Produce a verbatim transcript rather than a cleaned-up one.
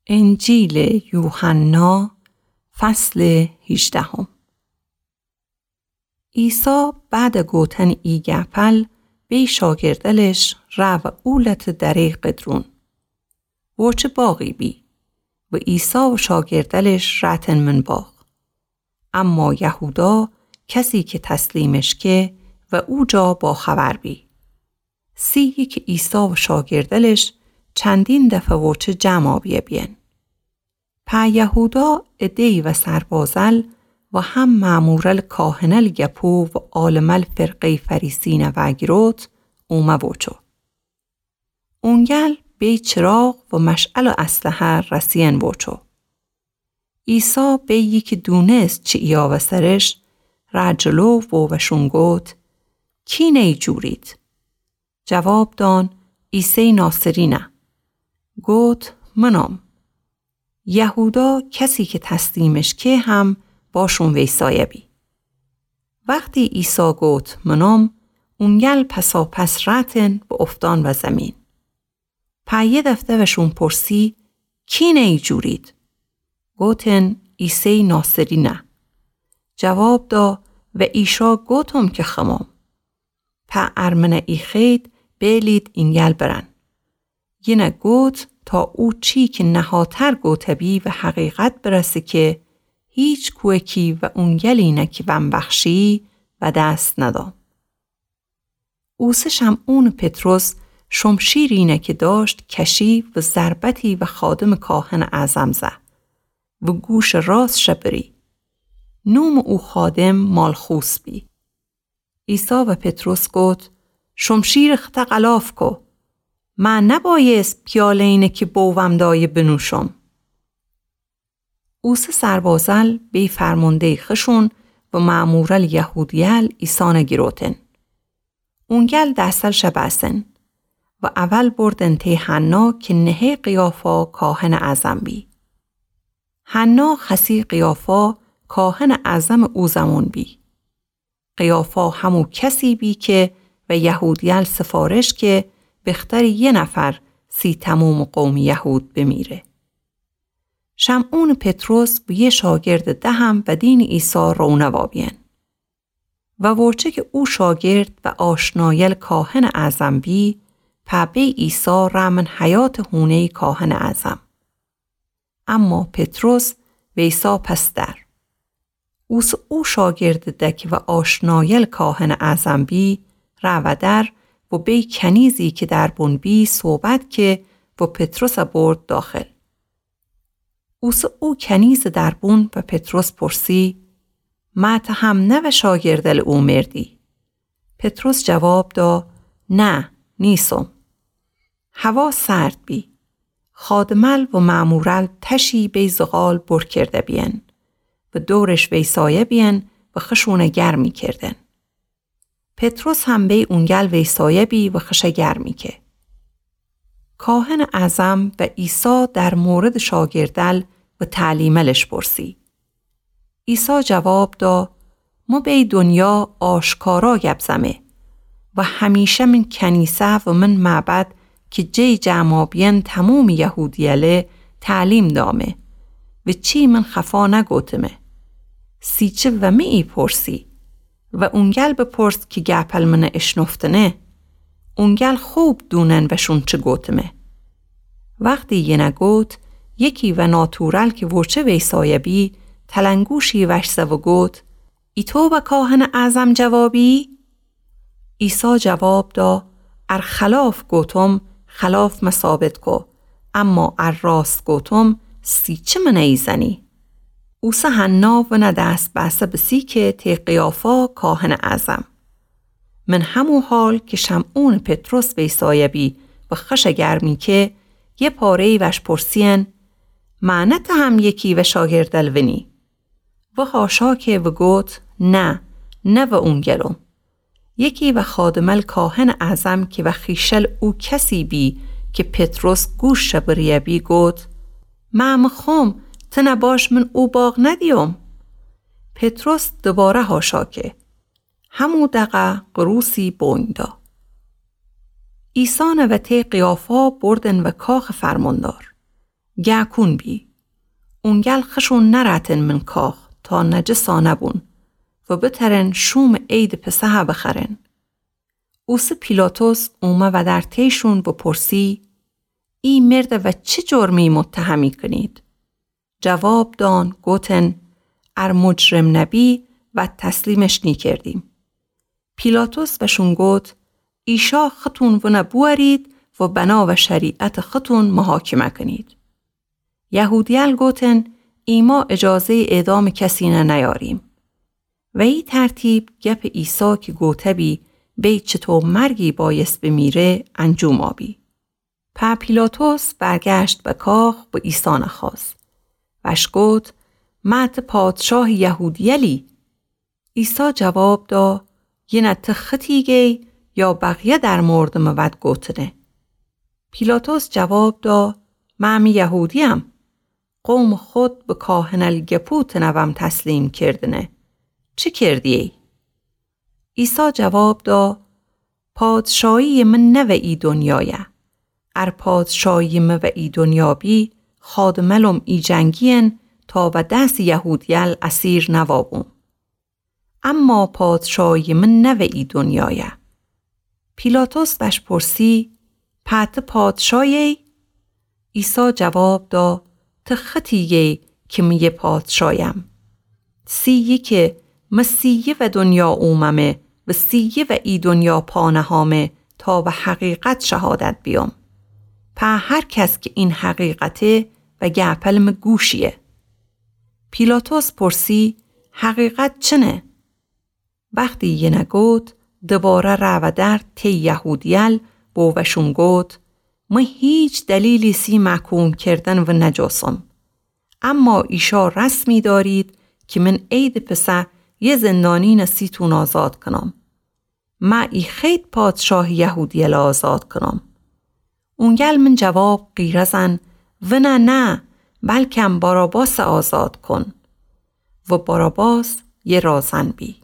انجیلٚ یوحنا، فصلٚ هیجدهم. عیسی بعدٚ گوتنٚ ای گپل بی شاگردلش رأ و او لتٚ دره‌یٚ قدرون. وچه باغی بی و عیسی و شاگردلش رأتن من باغ. اما یهودا، کسی کی تسلیمش که، و او جا باخبر بی. سی کی عیسی و شاگردلش چندین دفه وچه جمع آبیه بیین. په یهودا عده‌یی و سربازل و هم مأمورل کاهنل گپو و عالمل فرقه‌یٚ فریسین وأگیروت اومه وچو. اونگل بی چراغ و مشعل و اسلحه رسیین وچو. عیسی بی کی دونست چی ایاوه سرش، رأ جلو و وشون گوت: کی نی جورید؟ جواب دان: عیسیٚ ناصرینه. گوت: منم. یهودا، کسی کی تسلیمش که، هم باشون ویسایه بی. وختی عیسی گوت: منم، اونگل پساپس رأتن و افتان و زمین. په یه دفعه وشون پرسی: کی نی جورید؟ گوتن: عیسیٚ ناصرینه. جواب دا: و ایشا گوتم کی خمم. په ارمنه ایخید بیلید اینگل برن. یینه گوت تا او چی کی نهاتر گوته بی و حقیقت برسه کی هیچ کوهکی و اونگلینه کی وم بخشی و دس ندام. اوسه شمعونٚ پطرس شمشیرینه کی داشت کشی و ضربتی و خادمٚ کاهنٚ اعظم زه و گوشٚ راستش بری. نومٚ او خادم مالخوس بی. عیسی و پطرس گوت: شمشیرٚ خطه غلاف کو. مه نبایست پیاله‌یینه کی بووم دایه بنوشم. اوسه سربازل بی فرمانده‌یٚ خشون و مأمورل یهودیل عیسانه گیروتن. اونگل دستلش بأسن و اول بردن تی حنا کی نهه قیافا کاهنٚ اعظم بی. حنا خسی قیافا کاهنٚ اعظمٚ او زمون بی. قیافا همو کسی بی کی و یهودیل سفارش که بخطرٚ یه نفر سی تمومٚ قومٚ یهود بمیره. شمعونٚ پطرس و یه شاگردٚ دهم و دینٚ عیسی رونه وابیین. و وچه کی او شاگرد و آشنایل کاهنٚ اعظم بی، په بی عیسی رأ من حیاتٚ هونه‌یٚ کاهنٚ اعظم. اما پطرس ویسا پس در. اوسه او شاگردٚ ده کی و آشنایل کاهنٚ اعظم بی، رأ ودر و بی کنیزی کی دربون بی صحبت که و پطرس برد داخل. اوسه او کنیزٚ دربون و پطرس پرسی: مه ته هم نوه شاگردل او مردی؟ پطرس جواب دا: نه، نیسم. هوا سرد بی. خادمل و مأمورل تشی بی زغال بر کرده بیین و دورش ویسایه بیین و خشونه گرمی کردن. پطرس هم بی اونگل ویسایه بی و خشه گرمی که. کاهنٚ اعظم و عیسی در موردٚ شاگردل و تعلیملش پرسی. عیسی جواب دا: مو بی دنیا آشکارا گپ زمه و همیشه من کنیسه و من معبد کی جی جمع آبیین تمومٚ یهودیله تعلیم دامه و چی من خفا نگوتمه. سیچه و مه ای پرسی و اونگل بپرس کی گپل منه اشنفتنه. اونگل خوب دونن وشون چی گوتمه. وختی یینه گوت، یکی و ناتورل کی وچه ویسایه بی، تلنگوشی وش زه و گوت: ایتو به کاهنٚ اعظم جوابی؟ عیسی جواب دا: ار خلاف گوتم، خلاف مه ثابت کو، اما ار راست گوتم، سیچه منه ایزنی. اوسه حنا ونه دست بأسه بسی که تی قیافا کاهنٚ اعظم. من همو حال کی شمعونٚ پطرس ویسایه بی و خشه گرمی که، یه پاره‌یی وش پرسیین: مه نه ته هم یکی و شاگردل ونی؟ و حاشا که و گوت: نه، نه و اونگلم. یکی و خادمل کاهنٚ اعظم کی و خیشل او کسی بی کی پطرس گوشش بریه بی گوت: مه مخوم، تنه باش من او باغ ندیوم. پطرس دوباره حاشا که. همو دقه قروسی بونگ دا. عیسی نوه تی قیافا بردن و کاخٚ فرماندار. گه کون بی. اونگل خشون نرأتن من کاخ تا نجسانه بون و بترن شومٚ عیدٚ پسحه بخورن. اوسه پیلاطس اومه ودر تیشون و پرسی: ای مردٚ وأ چی جرمی متهمی کنید؟ جواب دأن گوتن: ار مجرم نبی وأد تسلیمش نیکردیم. پیلاطس وأشون گوت: ایشأ ختون ونأ بوأرید و بناوه شریعتٚ ختون محاکمه کنید. یهودیل گوتن: ایمأ اجازه‌یٚ اعدامٚ کسینه نیأریم. وأ ای ترتیب گپٚ عیسی کی گوته‌بی بی چطو مرگی بأیس بمیره انجوم آبی. پا پیلاطس برگشت به کاخ و عیسی نخوأست. وأش گوت: مأ ته پادشاهٚ یهودیلی؟ عیسی جواب دا: یینه ته ختی گی یا بقیه در موردٚ مٚ وأد گوتنه؟ پیلاطس جواب دا: مأ می یهودیم. قومٚ خود به کاهنل گپو تنوم تسلیم کردنه. چی کردیی؟ عیسی جواب دا: پادشاهییٚ مه نوه ای دنیایه. ار پادشاهییٚ مه وه ای دنیا بی، خادملوم ای جنگیین تا وأ دسٚ یهودیل اسیر نوأبوم. اما پادشاهییٚ مه نوه ای دنیایه. پیلاطس وأش پرسی: پا ته پادشایه‌یی؟ عیسی جواب دا: ته ختی گی کی مه یه پادشایم. سیی کی مه سیی وأ دنیا اوممه و سیی وأ ای دنیا پا نهامه تا وأ حقیقت شهادت بیوم. پا هر کس کی این حقیقته وأ گپل مه گوشییه. پیلاطس پرسی: حقیقت چنه؟ وختی یینه گوت، دوباره رأ ودر تی یهودیل و وأشون گوت: مه هیچ دلیلی سی محکوم کردن ونجوسم. اما ایشأ رسمی دأرید کی من عیدٚ پسه یه زندانین سیتون آزاد کنم. مه ای خید پادشاهٚ یهودیل آزاد کنم؟ اونگل من جواب قیرزن: ونه نه، بلکم باراباس آزاد کن. و باراباس یه رازن بی.